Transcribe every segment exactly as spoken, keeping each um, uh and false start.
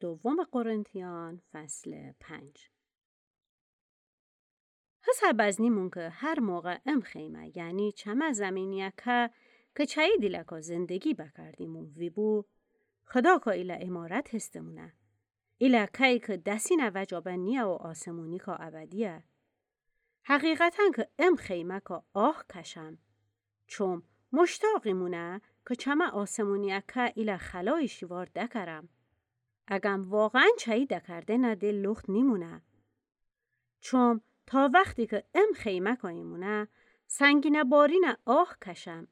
دوم قرنتیان، فصل پنج. هسه بزنیمون که هر موقع ام خیمه، یعنی چمه زمینیه که، که چایی دیلکا زندگی بکردیمون ویبو، خدا کا ایله عمارت هستمونه. ایله که‌یی که دسینه وجا به نیه و آسمونیکا ابدیه. حقیقتاً که ام خیمه‌کا آه کشم. چوم مشتاقیمونه که چمه آسمونیه که ایله خلای شیوار دکرم. اگم واقعاً چایی دکردنه ده لخت نیمونه. چوم تا وختی که ام خیمه‌کا ایمونه، سنگینه بارینه آه کشم.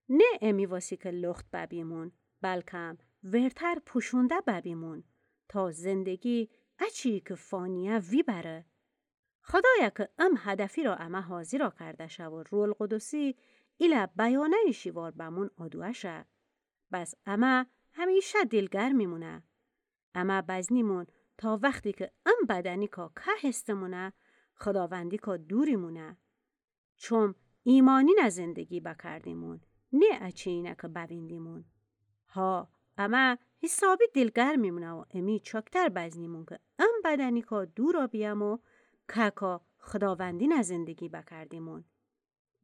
نه امی واسی که لخت ببیمون، بلکم ورتر پوشونده ببیمون، تا زندگی اچی که فانیه ویبره. خدایا که ام هدفی را امه حاضیرا کرده شه و روح‌القدسی ایله بیانه‌یی شیوار بمون آدوه شه. بس امه همیشه دیلگرم میمونه. امه بزنیمون تا وختی که ام بدنیکا که هستمونه، خداوندیکا دوریمونه. چوم ایمانینه زندگی بکردیمون، نه اچینه که بویندیمون. ها، امه حسابی دیلگرم میمونه و امی چاکتر بزنیمون که ام بدنیکا دورا بییم و که‌کا خداوندینه زندگی بکردیمون.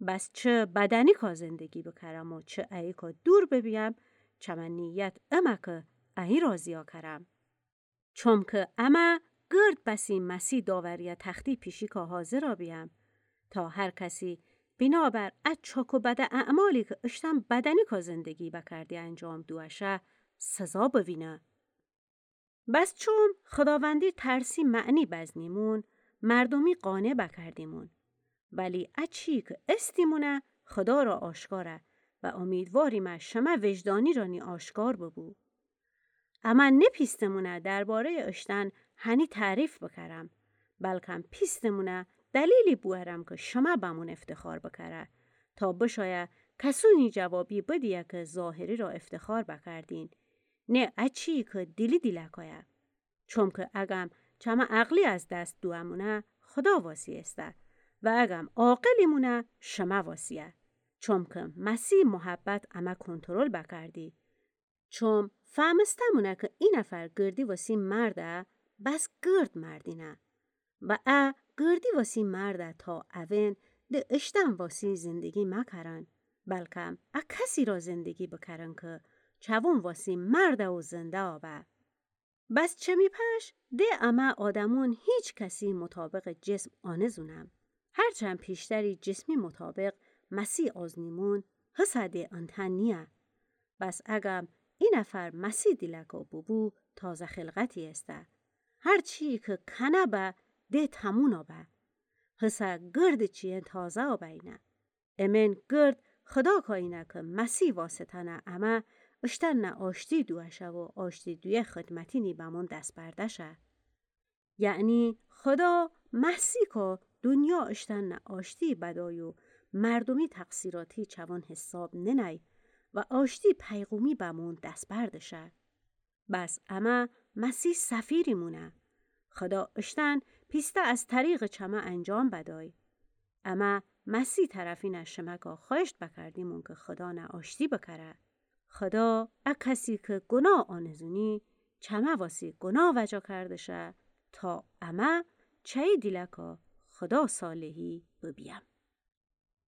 بس چه بدنیکا زندگی بکرم و چه اییکا دور ببیم، چمه نیت امه که ایی راضیا کرم. چوم که امه گرد بسی مسیح داوریه تختی پیشیکا حاضرا بیم، تا هر کسی بنابر ا چاک و بده اعمالی که اشتن بدنیکا زندگی بکردی انجام دوه شه، سزا بوینه. بس چوم خداوندی ترسی معنی بزنیمون، مردومی قانع بکردیمون. ولی اچی که استیمونه خدا را آشکاره و امیدواریمه شمه وجدانی رانی آشکار ببو. امه نپیستمونه درباره‌ی اشتن هنی تعریف بکرم، بلکم پیستمونه دلیلی بوئرم که شمه بمون افتخار بکره، تا بشایه کسونی جوابی بدیه که ظاهری را افتخار بکردین، نه اچی که دیلی دیلکایه. چوم که اگم چمه عقلی از دست دوئمونه، خدا واسی ایسته و اگم عاقلیمونه، شمه واسیه. چوم که مسیح محبت امه کنترل بکردی. چوم فهمستمونه که ای نفر گردی واسی مرده، بس گرد مردینه. و ا گردی واسی مرده تا اون ده اشتن واسی زندگی مکرن، بلکم ا کسی را زندگی بکرن که چوون واسی مرده و زنده آبه. بس چمی پش ده امه آدمون هیچ کسی مطابق جسم آنزونم. هرچند پیشتری جسمی مطابق مسیح آزنیمون، هسه ده انتن نیه. بس اگم ای نفر مسیح دیلکا ببو، تازه خلقتی ایسته. هر چی که کنه به، ده تمونا به. هسه گرد چیین تازه آبه‌ینه. امین گرد خدا کاینه که مسیح واسطه‌نه امه اشتنه آشتی دوه شه و آشتی دویه خدمتینی بمون دس برده شه. یعنی خدا مسیح کا دنیا اشتنه آشتی بدای و مردومی تقصیراتی چوون حساب ننای و آشتی پیغومی بمون دس برده شه. بس امه مسیح سفیریمونه. خدا اشتن پیسته از طریق چمه انجام بدای. امه مسیح طرفینه شمه کا خوأشت بکردیمون که خدانه آشتی بکره. خدا ا کسی که گناه آنزونی، چمه واسی گناه وجا کرده شه، تا امه چه ای دیلکا خدا صالحی ببیم.